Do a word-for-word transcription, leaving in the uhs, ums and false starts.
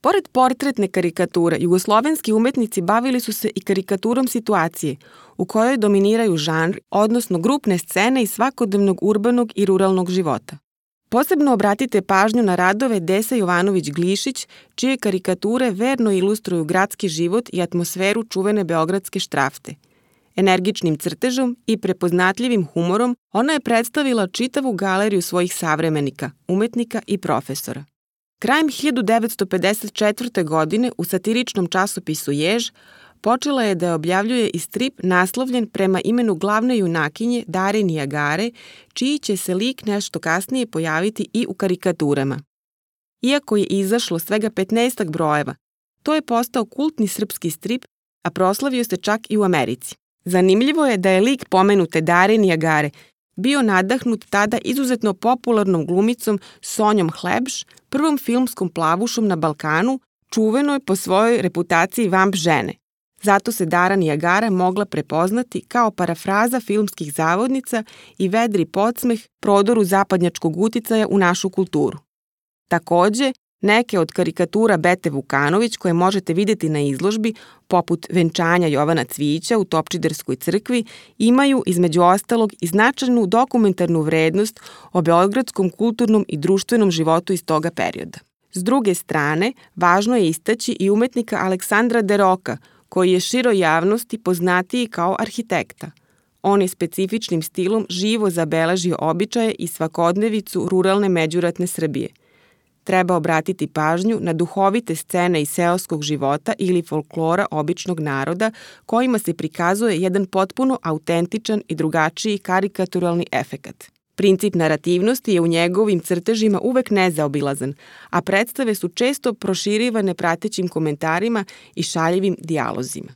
Pored portretne karikature, jugoslovenski umetnici bavili su se i karikaturom situacije, u kojoj dominiraju žanr, odnosno grupne scene iz svakodnevnog urbanog i ruralnog života. Posebno obratite pažnju na radove Desa Jovanović-Glišić, čije karikature verno ilustruju gradski život i atmosferu čuvene beogradske štrafte. Energičnim crtežom i prepoznatljivim humorom ona je predstavila čitavu galeriju svojih savremenika, umetnika i profesora. Krajem hiljadu devetsto pedeset četvrte. godine u satiričnom časopisu Jež počela je da objavljuje i strip naslovljen prema imenu glavne junakinje Dare Nijagare, čiji će se lik nešto kasnije pojaviti i u karikaturama. Iako je izašlo svega petnaestak brojeva, to je postao kultni srpski strip, a proslavio se čak i u Americi. Zanimljivo je da je lik pomenute Dare Nijagare bio nadahnut tada izuzetno popularnom glumicom Sonjom Hlebš, prvom filmskom plavušom na Balkanu, čuvenoj po svojoj reputaciji vamp žene. Zato se Dara Nijagara mogla prepoznati kao parafraza filmskih zavodnica i vedri podsmeh prodoru zapadnjačkog uticaja u našu kulturu. Takođe, neke od karikatura Bete Vukanović koje možete videti na izložbi, poput Venčanja Jovana Cvijića u Topčiderskoj crkvi, imaju između ostalog i značajnu dokumentarnu vrednost o beogradskom kulturnom i društvenom životu iz toga perioda. S druge strane, važno je istaći i umetnika Aleksandra Deroka, koji je široj javnosti poznatiji kao arhitekta. On je specifičnim stilom živo zabeležio običaje i svakodnevicu ruralne međuratne Srbije. Treba obratiti pažnju na duhovite scene iz seoskog života ili folklora običnog naroda kojima se prikazuje jedan potpuno autentičan i drugačiji karikaturalni efekat. Princip narativnosti je u njegovim crtežima uvek nezaobilazan, a predstave su često proširivane pratećim komentarima i šaljivim dijalozima.